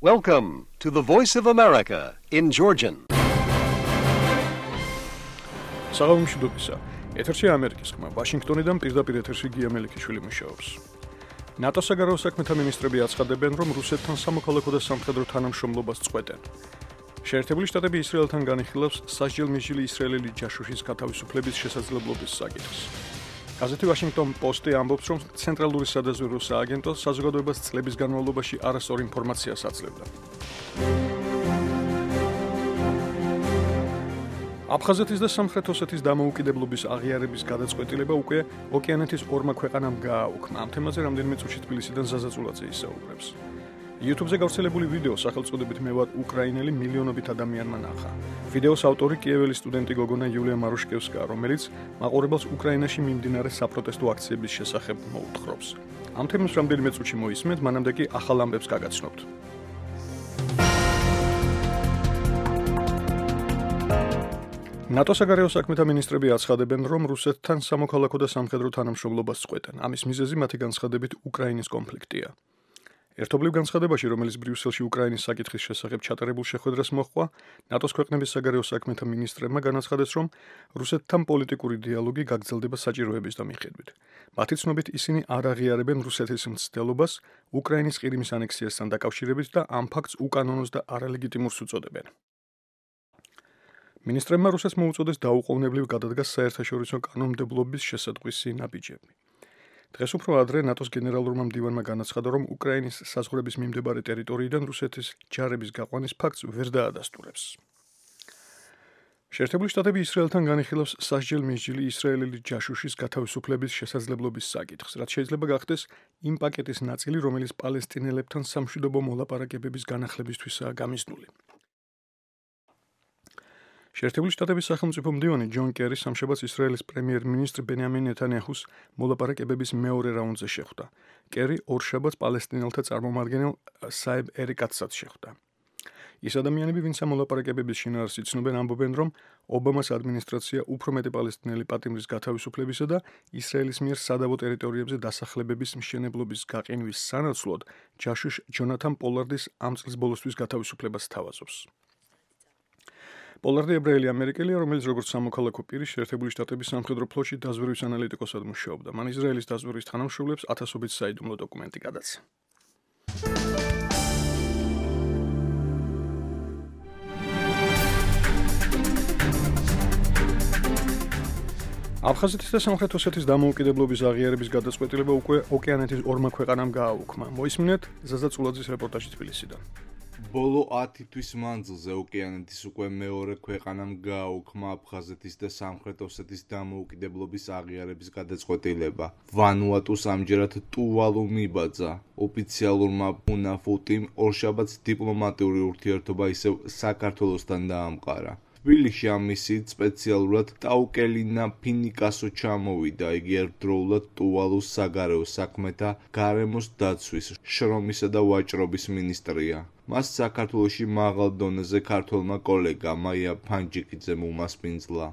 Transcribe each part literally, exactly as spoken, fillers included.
Welcome to the Voice of America in Georgian. საღამომშვიდობისა. ეთერში ამერიკის ხმა. ვაშინგტონიდან პირდაპირ ეთერში გია მელიქიშვილი მუშაობს. ნატოს საგარეო საქმეთა მინისტრები აცხადებენ, რომ რუსეთთან სამოქალაქო და სამხედრო თანამშრომლობას წყვეტენ. შეერთებული შტატები ისრაელთან განიხილავს სასჯელ-მიჯილი ისრაელელი ჯაშუშის გათავისუფლების შესაძლებლობის საკითხს. გაზეთი Washington Post-ი ამბობს, რომ ცენტრალური სადაზვერვო სააგენტო საზოგადოებას წლების განმავლობაში არასწორ ინფორმაციას აძლევდა. აფხაზეთის და სამხრეთ ოსეთის დამოუკიდებლობის აღიარების გადაწყვეტილება უკვე ოკეანეთის ორმა ქვეყანამ გააუქმა. ამ თემაზე რამდენიმე წუთში თბილისიდან ზაზა წულაძე ისაუბრებს. YouTube-ზე გავრცელებული ვიდეო სახელწოდებით მე ვარ უკრაინელი მილიონობით ადამიანმა ნახა. ვიდეოს ავტორი კიეველი სტუდენტი გოგონა იულია მარუშკევსკა, რომელიც მაყურებელს უკრაინაში მიმდინარე საპროტესტო აქციების შესახებ მოუთხრობს. ამ თემას რამდენიმე წუთში მოისმენთ, მანამდე კი ახალ ამბებს გაგაცნობთ. ნატოს საგარეო საქმეთა მინისტრები აცხადებენ, რომ რუსეთთან სამოქალაქო და სამხედრო თანამშრომლობას წყვეტენ. ამის მიზეზი მათი განცხადებით უკრაინის კონფლიქტია. ერთობლივ განცხადებაში, რომელიც ბრიუსელში უკრაინის საკითხის შესახებ ჩატარებულ შეხვედრას მოჰყვა, ნატოს ქვეყნების საგარეო საქმეთა მინისტრებმა განაცხადეს, რომ რუსეთთან პოლიტიკური დიალოგი გაგრძელდება საჭიროების მიხედვით. მათი ცნობით, ისინი არ აღიარებენ რუსეთის მცდელობას უკრაინის ყირიმის ანექსიასთან დაკავშირებით და ამ ფაქტს უკანონოს და არალეგიტიმურს უწოდებენ. მინისტრებმა რუსეთს მოუწოდეს დაუყოვნებლივ გადადგას საერთაშორისო კანონმდებლობის შესატყვისი ნაბიჯები. დღეს უფრო ადრე ნატოს გენერალურმა მდივანმა განაცხადა, რომ უკრაინის საზღვრების მიმდებარე ტერიტორიიდან რუსეთის ჯარების გაყვანის ფაქტს ვერ დაადასტურებს. შეერთებული შტატები ისრაელთან განიხილავს სასჯელ-მიჯილი ისრაელელი ჯაშუშის გათავისუფლების შესაძლებლობის საკითხს, რაც შეიძლება გახდეს იმ პაკეტის ნაწილი, რომელიც პალესტინელებთან სამშვიდობო მოლაპარაკებების განახლებისთვისაა გამიზნული. შეერთებული შტატების სახელმწიფო მდივანი ჯონ კერი სამშაბათს ისრაელის პრემიერ-მინისტრ ბენიამინ ნეთანიაჰუს მოლაპარაკებების მეორე რაუნდზე შეხვდა. კერი ორშაბათს პალესტინელთა წარმომადგენელ საებ ერიკატსაც შეხვდა. ის ადამიანები, ვინც ამ მოლაპარაკებების შინაარსს იცნობენ, ამბობენ, რომ ობამას ადმინისტრაცია უფრო მეტი პალესტინელი პატიმრის გათავისუფლებისა და ისრაელის მიერ სადავო ტერიტორიებზე დასახლებების მშენებლობის გაყინვის სანაცვლოდ ჯაშუშ ჯონათან პოლარდის ამ წლის ბოლოსთვის გათავისუფლებას სთავაზობს. პოლარდი ებრაელი ამერიკელია, რომელიც როგორც სამოქალაქო პირი შეერთებული შტატების სამხედრო ფლოტში დაზვერვის ანალიტიკოსად მუშაობდა. მან ისრაელის დაზვერვის თანამშრომლებს ათასობით საიდუმლო დოკუმენტი გადაცა. აფხაზეთის და სამხრეთ ოსეთის დამოუკიდებლობის აღიარების გადაწყვეტილება უკვე ოკეანეთის ორმა ქვეყანამ გააუქმა. მოისმინეთ ზაზა წულაძის რეპორტაჟი თბილისიდან. ბოლო ათი თვის მანძილზე ოკეანეთის უკვე მეორე ქვეყანამ გააუქმა აფხაზეთის და სამხრეთ ოსეთის დამოუკიდებლობის აღიარების გადაწყვეტილება. ვანუატუს ამჯერად ტუვალუ მიბაძა. ოფიციალურმა ფუნაფუტიმ ორშაბათს დიპლომატიური ურთიერთობა ისევ საქართველოსთან დაამყარა. თბილისში ამ მისიით სპეციალურად ტაუკელინა ფინიკასო ჩამოვიდა. იგი ერთდროულად ტუვალუს საგარეო საქმეთა, გარემოს დაცვის, შრომისა და ვაჭრობის მინისტრია. მას საქართველოში მაღალ დონეზე ქართველმა კოლეგა მაია ფანჯიკიძემ უმასპინძლა.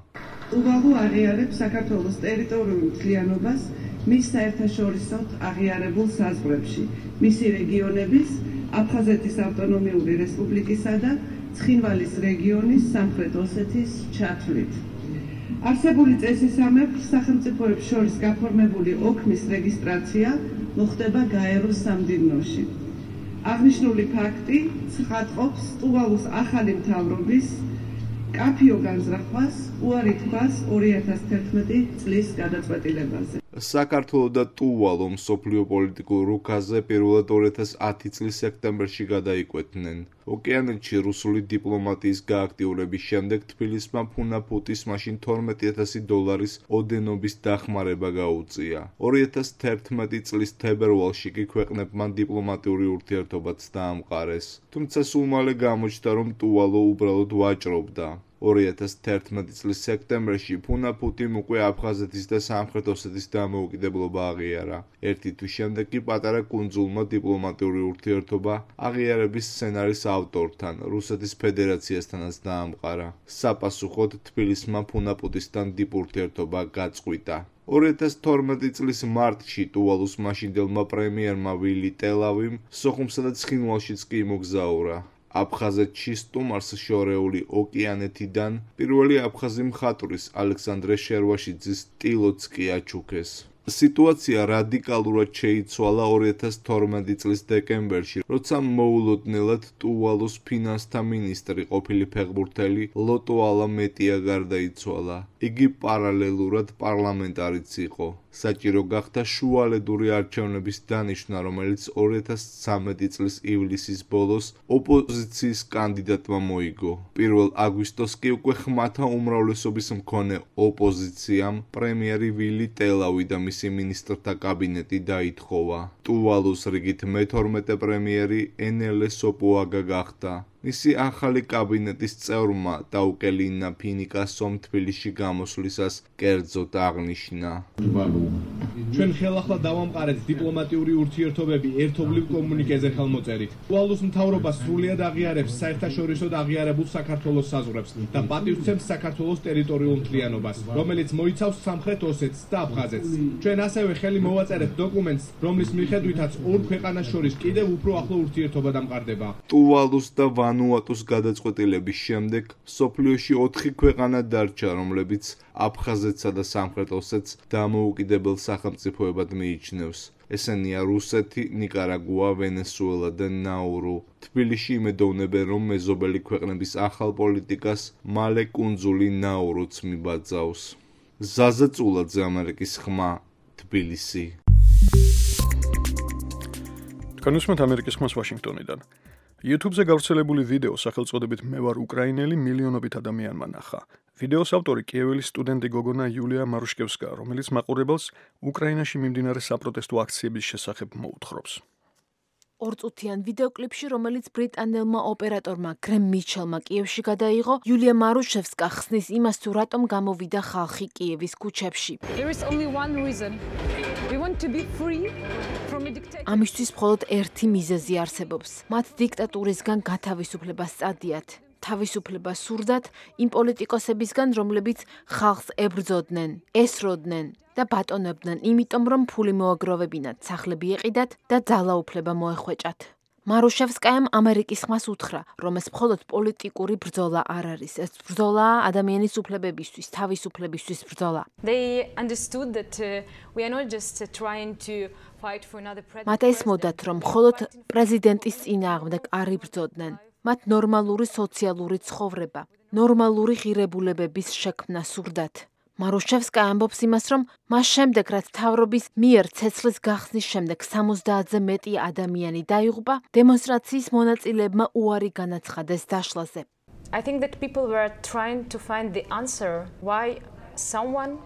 ტუვალუ აღიარებს საქართველოს ტერიტორიულ მთლიანობას მის საერთაშორისოდ აღიარებულ საზღვრებში, მისი რეგიონების, აფხაზეთის ავტონომიური რესპუბლიკისა და ცხინვალის რეგიონის სამხრეთ ოსეთის ჩათვლით. არსებული წესისამებრ სახელმწიფოებს შორის გაფორმებული ოქმის რეგისტრაცია მოხდება გაეროს სამდივნოში. აღნიშნული ფაქტი ცხადყოფს ტუვალუს ახალი მთავრობის კაფიო განზრახვას უარი თქვას ორი ათას თერთმეტი წლის გადაწყვეტილებაზე. საქართველო და ტუვალუ მსოფლიო პოლიტიკურ რუქაზე პირველად ორი ათას ათი წლის სექტემბერში გადაიკვეთნენ. ოკეანეთში რუსული დიპლომატიის გააქტიურების შემდეგ თბილისმა ფუნაფუტის მაშინ თორმეტი ათასი დოლარის ოდენობის დახმარება გაუწია. ორი ათას თერთმეტი წლის თებერვალში კი ქვეყნებმა დიპლომატიური ურთიერთობაც დაამყარეს. თუმცა სულ მალე გამოჩნდა, რომ ტუვალუ უბრალოდ ვაჭრობდა. ორი ათას თერთმეტი წლის სექტემბერში ფუნაფუტიმ უკვე აფხაზეთის და სამხრეთ ოსეთის დამოუკიდებლობა აღიარა. ერთი თვის შემდეგ კი პატარა კუნძულმა დიპლომატიური ურთიერთობა აღიარების სცენარის ავტორთან, რუსეთის ფედერაციასთანაც დაამყარა. საპასუხოდ თბილისმა ფუნაფუტისთან დიპ ურთიერთობა გაწყვიტა. ორი ათას თორმეტი წლის მარტში ტუვალუს მაშინდელმა პრემიერმა ვილი ტელავიმ სოხუმსა და ცხინვალშიც კი იმოგზაურა. აფხაზეთში სტუმარს შორეული ოკეანეთიდან პირველი აფხაზი მხატვრის ალექსანდრე შერვაშიძის ტილოც კი აჩუქეს. სიტუაცია რადიკალურად შეიცვალა ორი ათას თორმეტი წლის დეკემბერში, როცა მოულოდნელად ტუვალუს ფინანსთა მინისტრი ყოფილი ფეხბურთელი ლოტო ალამეტია გარდაიცვალა. იგი პარალელურად პარლამენტარიც იყო. საჭირო გახდა შუალედური არჩევნების დანიშვნა, რომელიც ორი ათას ცხრამეტი წლის ივლისის ბოლოს ოპოზიციის კანდიდატმა მოიგო. პირველ აგვისტოს კი უკვე ხმათა უმრავლესობის მქონე ოპოზიციამ პრემიერი ვილი ტელავი და მისი მინისტრთა კაბინეტი დაითხოვა. ტუვალუს რიგით მეთორმეტე პრემიერი ენელე სოპოაგა გახდა. მისი ახალი კაბინეტის წევრმა დაუკელინა ფინიკასომ თბილისში გამოსვლისას კერძოდ აღნიშნა. ჩვენ ხელახლა დავამყარეთ დიპლომატიური ურთიერთობები ერთობლივ კომუნიკეზე ხელმოწერით. ტუვალუს მთავრობა სრულიად აღიარებს საერთაშორისოდ აღიარებულ საქართველოს საზღვრებს და პატივცემს საქართველოს ტერიტორიულ მთლიანობას, რომელიც მოიცავს სამხრეთ ოსეთს და აფხაზეთს. ჩვენ ასევე ხელი მოვაწერეთ დოკუმენტს, რომლის მიხედვითაც ორ ქვეყანას შორის კიდევ უფრო ახლო ურთიერთობა დამყარდება. ტუვალუს და ვანუატუს გადაწყვეტილების შემდეგ მსოფლიოში ოთხი ქვეყანა დარჩა, რომლებიც აფხაზეთსა და სამხრეთ ოსეთს დამოუკიდებელ სახელმწიფოებად მიიჩნევს. ესენია რუსეთი, ნიკარაგუა, ვენესუელა და ნაურუ. თბილისში იმედოვნებენ, რომ მეზობელი ქვეყნების ახალ პოლიტიკას მალე კუნძული ნაურუც მიბაძავს. ზაზა წულაძე, ამერიკის ხმა, თბილისი. თქვენ უსმენთ ამერიკის ხმას ვაშინგტონიდან. YouTube-ზე გავრცელებული ვიდეო სახელწოდებით მე ვარ უკრაინელი მილიონობით ადამიანმა ნახა. ვიდეოს ავტორი კიეველის სტუდენტი გოგონა იულია მარუშკევსკა, რომელიც მაყურებელს უკრაინაში მიმდინარე საპროტესტო აქციების შესახებ მოუთხრობს. ორწუთიან ვიდეოკლიპში, რომელიც ბრიტანელმა ოპერატორმა გრემ მიჩელმა კიევში გადაიღო, იულია მარუშევსკა ხსნის იმას, თუ რატომ გამოვიდა ხალხი კიევის ქუჩებში. ამისთვის მხოლოდ ერთი მიზეზი არსებობს. მათ დიქტატურისგან გათავისუფლებას წადიათ. თავისუფლება სურდათ იმ პოლიტიკოსებისგან, რომლებიც ხალხს ებრძოდნენ, ესროდნენ და ბატონებდნენ, იმიტომ რომ ფული მოაგროვებინათ, სახლები ეყიდათ და ძალაუფლება მოეხვეჭათ. მარუშევსკაამ ამერიკის ხმას უთხრა, რომ ეს მხოლოდ პოლიტიკური ბრძოლა არ არის. ეს ბრძოლაა ადამიანის უფლებებისთვის, თავისუფლებისთვის ბრძოლა. მათ ესმოდათ, რომ მხოლოდ პრეზიდენტის წინააღმდეგ არ იბრძოდნენ. მათ ნორმალური სოციალური ცხოვრება, ნორმალური ღირებულებების შექმნა სურდათ. მარუშევსკა ამბობს იმას, რომ მას შემდეგ, რაც მთავრობის მიერ ცეცხლის გახსნის შემდეგ სამოცდაათზე მეტი ადამიანი დაიღუპა, დემონსტრაციის მონაწილეებმა უარი განაცხადეს დაშლაზე.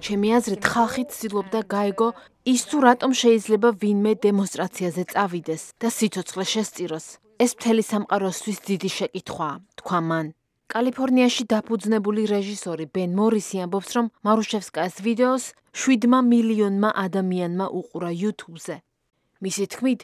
ჩემი აზრით, ხალხი ცდილობდა გაეგო ის, თუ რატომ შეიძლება ვინმე დემონსტრაციაზე წავიდეს და სიცოცხლე შესწიროს. ეს მთელი სამყაროსთვის დიდი შეკითხვაა, თქვა მან. კალიფორნიაში დაფუძნებული რეჟისორი ბენ მორისი ამბობს, რომ მარუშევსკაის ვიდეოს შვიდმა მილიონმა ადამიანმა უყურა YouTube-ზე. მისი თქმით,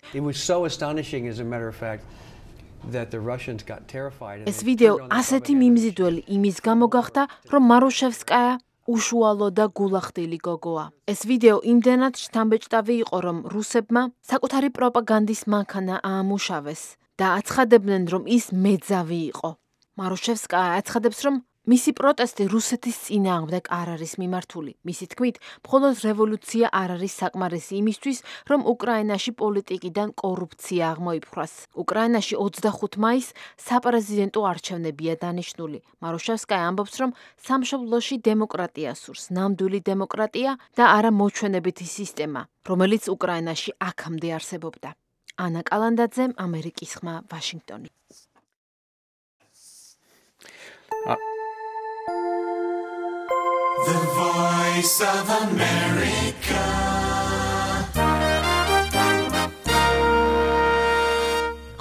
ეს ვიდეო ასეთი მიმზიდველი იმის გამო გახდა, რომ მარუშევსკაია უშუალო და გულახდილი გოგოა. ეს ვიდეო იმდენად შთამბეჭდავი იყო, რომ რუსებმა საკუთარი პროპაგანდის მანქანა აამუშავეს და აცხადებდნენ, რომ ის მეძავი იყო. მარუშევსკა აცხადებს, რომ მისი პროტესტი რუსეთის წინააღმდეგ არ არის მიმართული. მისი თქმით, მხოლოდ რევოლუცია არ არის საკმარისი იმისთვის, რომ უკრაინაში პოლიტიკიდან კორუფცია აღმოიფხვრას. უკრაინაში ოცდახუთი მაისს საპრეზიდენტო არჩევნებია დანიშნული. მარუშევსკა ამბობს, რომ სამშობლოში დემოკრატია სურს, ნამდვილი დემოკრატია და არა მოჩვენებითი სისტემა, რომელიც უკრაინაში აქამდე არსებობდა. ანა კალანდაძე, ამერიკის ხმა, ვაშინგტონი. The Voice of America.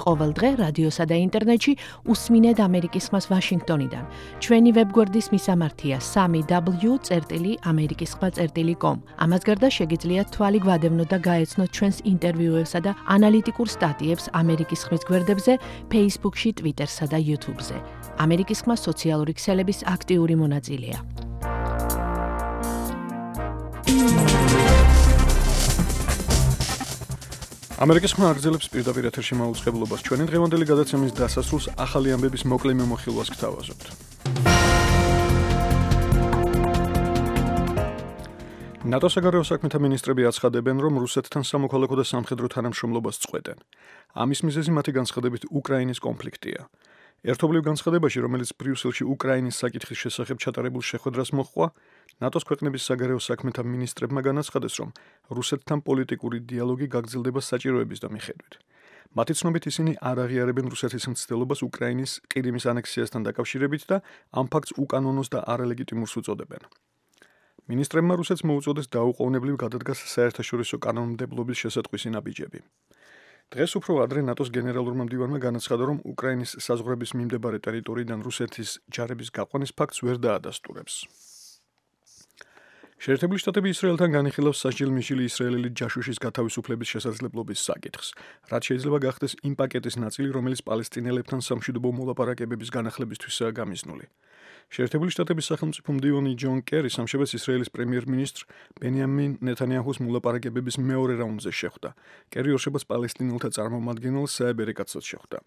ყოველ დღე რადიოსა და ინტერნეტში უსმინეთ ამერიკის ხმას ვაშინგტონიდან. ჩვენი ვებგვერდის მისამართია სამი დაბლიუ წერტილი ამერიკის ხმა წერტილი კომ. ამას გარდა შეგიძლიათ თვალი გვადევნოთ და გაეცნოთ ჩვენს ინტერვიუებსა და ანალიტიკურ სტატიებს ამერიკის ხმის გვერდებზე, Facebook-ში, Twitter-სა და YouTube-ზე. ამერიკის ხმა სოციალური ქსელების აქტიური მონაწილეა. ამერიკის ხმა აგრძელებს პირდაპირ ეთერში მაუწყებლობას. ჩვენი დღევანდელი გადაცემის დასასრულს ახალი ამბების მოკლე მიმოხილვას გთავაზობთ. ნატოს საგარეო საქმეთა მინისტრები აცხადებენ, რომ რუსეთთან სამოქალაქო და სამხედრო თანამშრომლობას წყვეტენ. ამის მიზეზი მათი განცხადებით უკრაინის კონფლიქტია. ერთობლივ განცხადებაში, რომელიც ბრიუსელში უკრაინის საკითხის შესახებ ჩატარებულ შეხვედრას მოჰყვა, ნატოს ქვეყნების საგარეო საქმეთა მინისტრებმა განაცხადეს, რომ რუსეთთან პოლიტიკური დიალოგი გაგრძელდება საჭიროების და მიხედვით. მათი ცნობით ისინი არ აღიარებენ რუსეთის მცდელობას უკრაინის ყირიმის ანექსიასთან დაკავშირებით და ამ ფაქტს უკანონოს და არალეგიტიმურს უწოდებენ. მინისტრებმა რუსეთს მოუწოდეს დაუყოვნებლივ გადადგას საერთაშორისო კანონმდებლობის შესატყვისი ნაბიჯები. დღეს უფრო ადრე ნატოს გენერალურმა მდივანმა განაცხადა, რომ უკრაინის საზღვრების მიმდებარე ტერიტორიიდან რუსეთის ჯარების გაყვანის ფაქტს ვერ დაადასტურებს. შეერთებული შტატები ისრაელთან განიხილავს სასჯელ-მისჯილი ისრაელელი ჯაშუშის გათავისუფლების შესაძლებლობის საკითხს, რაც შეიძლება გახდეს იმ პაკეტის ნაწილი, რომელიც პალესტინელებთან სამშვიდობო მოლაპარაკებების განახლებისთვისაა გამიზნული. შეერთებული შტატების სახელმწიფო მდივანი ჯონ კერი სამშაბათს ისრაელის პრემიერ-მინისტრ ბენიამინ ნეთანიაჰუს მოლაპარაკებების მეორე რაუნდზე შეხვდა. კერი ორშაბათს პალესტინელთა წარმომადგენელ საებ ერეკაცსაც შეხვდა.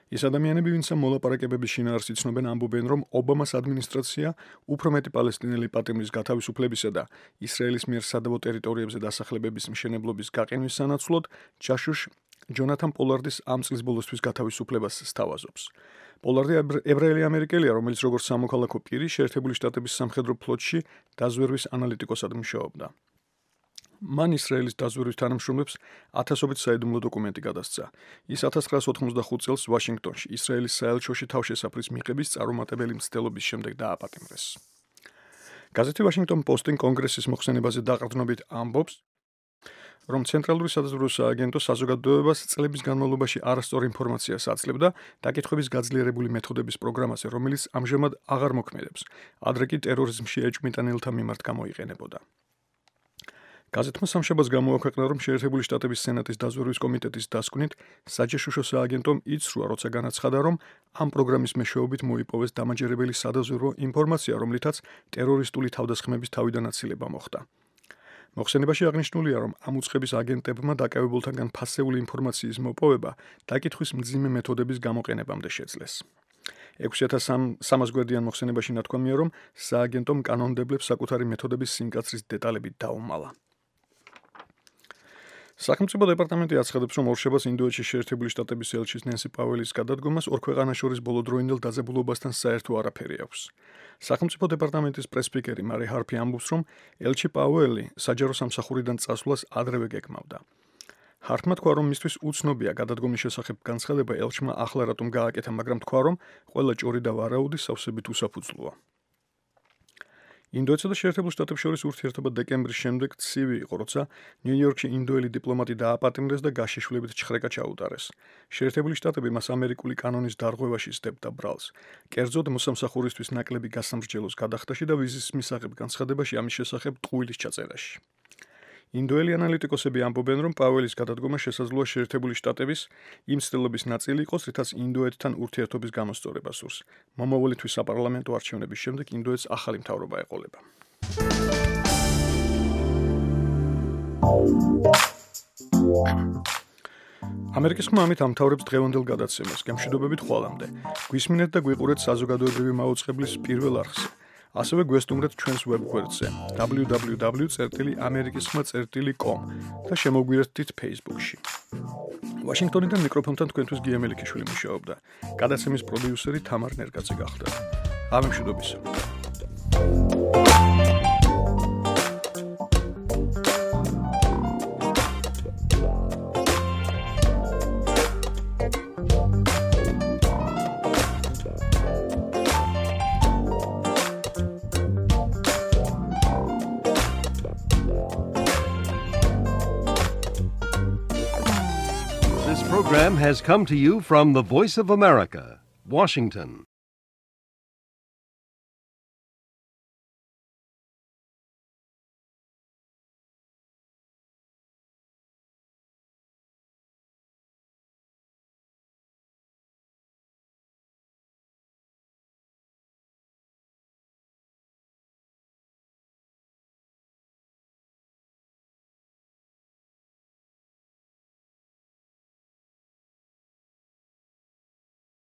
ის ადამიანები, ვინც ამ მოლაპარაკებების შინაარსს იცნობენ, ამბობენ, რომ ობამას ადმინისტრაცია უფრო მეტი პალესტინელი პატიმრის გათავისუფლებისა და ისრაელის მიერ სადავო ტერიტორიებზე დასახლებების მშენებლობის გაყენვის სანაცვლოდ ჯაშუშ ჯონათან პოლარდის ამ წლის ბოლოსთვის გათავისუფლებას სთავაზობს. პოლარდი ებრაელი ამერიკელია, რომელიც როგორც სამოქალაქო პირი შეერთებული შტატების სამხედრო ფლოტში დაზვერვის ანალიტიკოსად მუშაობდა. მან ისრაელის დაზვერვის თანამშრომლებს ათასობით საიდუმლო დოკუმენტი გადასცა. ის ათას ცხრაას ოთხმოცდახუთ წელს ვაშინგტონში ისრაელის საელჩოში თავშესაფრის მიღების წარუმატებელი მცდელობის შემდეგ დააპატიმრეს. გაზეთი Washington Post-ი კონგრესის მოხსენებაზე დაყრდნობით ამბობს, რომ ცენტრალური სადაზვერვო სააგენტო საზოგადოებას წლების განმავლობაში არასწორ ინფორმაციას აძლევდა დაკითხვების გაძლიერებული მეთოდების პროგრამაზე, რომელიც ამჟამად აღარ მოქმედებს, ადრე კი ტერორიზმში ეჭვმიტანელთა მიმართ გამოიყენებოდა. გაზეთმა სამშაბათს გამოაქვეყნა, რომ შეერთებული შტატების სენატის დაზვერვის კომიტეტის დასკვნით საჯაშუშო სააგენტომ იცრუა, როცა განაცხადა, რომ ამ პროგრამის მეშვეობით მოიპოვეს დამაჯერებელი სადაზვერვო ინფორმაცია, რომლითაც ტერორისტული თავდასხმების თავიდანაცილება მოხდა. მოხსენებაში აღნიშნულია, რომ ამ უწყების აგენტებმა დაკავებულთაგან ფასეული ინფორმაციის მოპოვება დაკითხვის მძიმე მეთოდების გამოყენებამდე შეძლეს. ექვსი ათას სამას გვერდიან მოხსენებაში ნათქვამია, რომ სააგენტომ კანონმდებლებს საკუთარი მეთოდების სიმკაცრის დეტალები დაუმალა. სახელმწიფო დეპარტამენტი აცხადებს, რომ ორშაბათს ინდოეთში შეერთებული შტატების ელჩის ნენსი პაველის გადადგომას ორ ქვეყანას შორის ბოლოდროინდელ დაძაბულობასთან საერთო არაფერი აქვს. სახელმწიფო დეპარტამენტის პრესსპიკერი მარი ჰარფი ამბობს, რომ ელჩი პაუელი საჯარო სამსახურიდან წასვლას ადრევე გეკმავდა. ჰარტმა თქვა, რომ მისთვის უცნობია გადადგომის შესახებ განცხადება ელჩმა ახლა რატომ გააკეთა, მაგრამ თქვა, რომ ყველა ჭორი და ვარაუდი სავსებით უსაფუძვლოა. ინდოეთსა და შეერთებულ შტატებს შორის ურთიერთობა დეკემბრის შემდეგ ცივი იყო, როცა ნიუ-იორკში ინდოელი დიპლომატი დააპატიმრეს და გაშიშვლებით ჩხრეკა ჩაუტარეს. შეერთებული შტატები მას ამერიკული კანონის დარღვევაში სდებდა ბრალს. კერძოდ მოსამსახურისთვის ნაკლები გასამრჯელოს გადახდაში და ვიზის მისაღებ განცხადებაში ამის შესახებ ტყუილის ჩაწერაში. ინდოელი ანალიტიკოსები ამბობენ, რომ პაველის გადადგომა შესაძლოა შეერთებული შტატების იმ მცდელობის ნაწილი იყოს, რითაც ინდოეთთან ურთიერთობის გამოსწორება სურს. მომავალი თვის საპარლამენტო არჩევნების შემდეგ ინდოეთს ახალი მთავრობა ეყოლება. ამერიკის ხმა ამით ამთავრებს დღევანდელ გადაცემას. გემშვიდობებით ხვალამდე. გვისმინეთ და გვიყურეთ საზოგადოებრივი მაუწყებლის პირველ არხზე. ასევე გვესტუმრეთ ჩვენს ვებგვერდზე დაბლიუ დაბლიუ დაბლიუ წერტილი ამერიკის ხმა წერტილი კომ და შემოგვიერთდით Facebook-ში. ვაშინგტონიდან მიკროფონთან თქვენთვის გია მელიქიშვილი მუშაობდა. გადაცემის პროდიუსერი თამარ ნერგაძე გახდა. ამემშვიდობისა. This program has come to you from the Voice of America, Washington.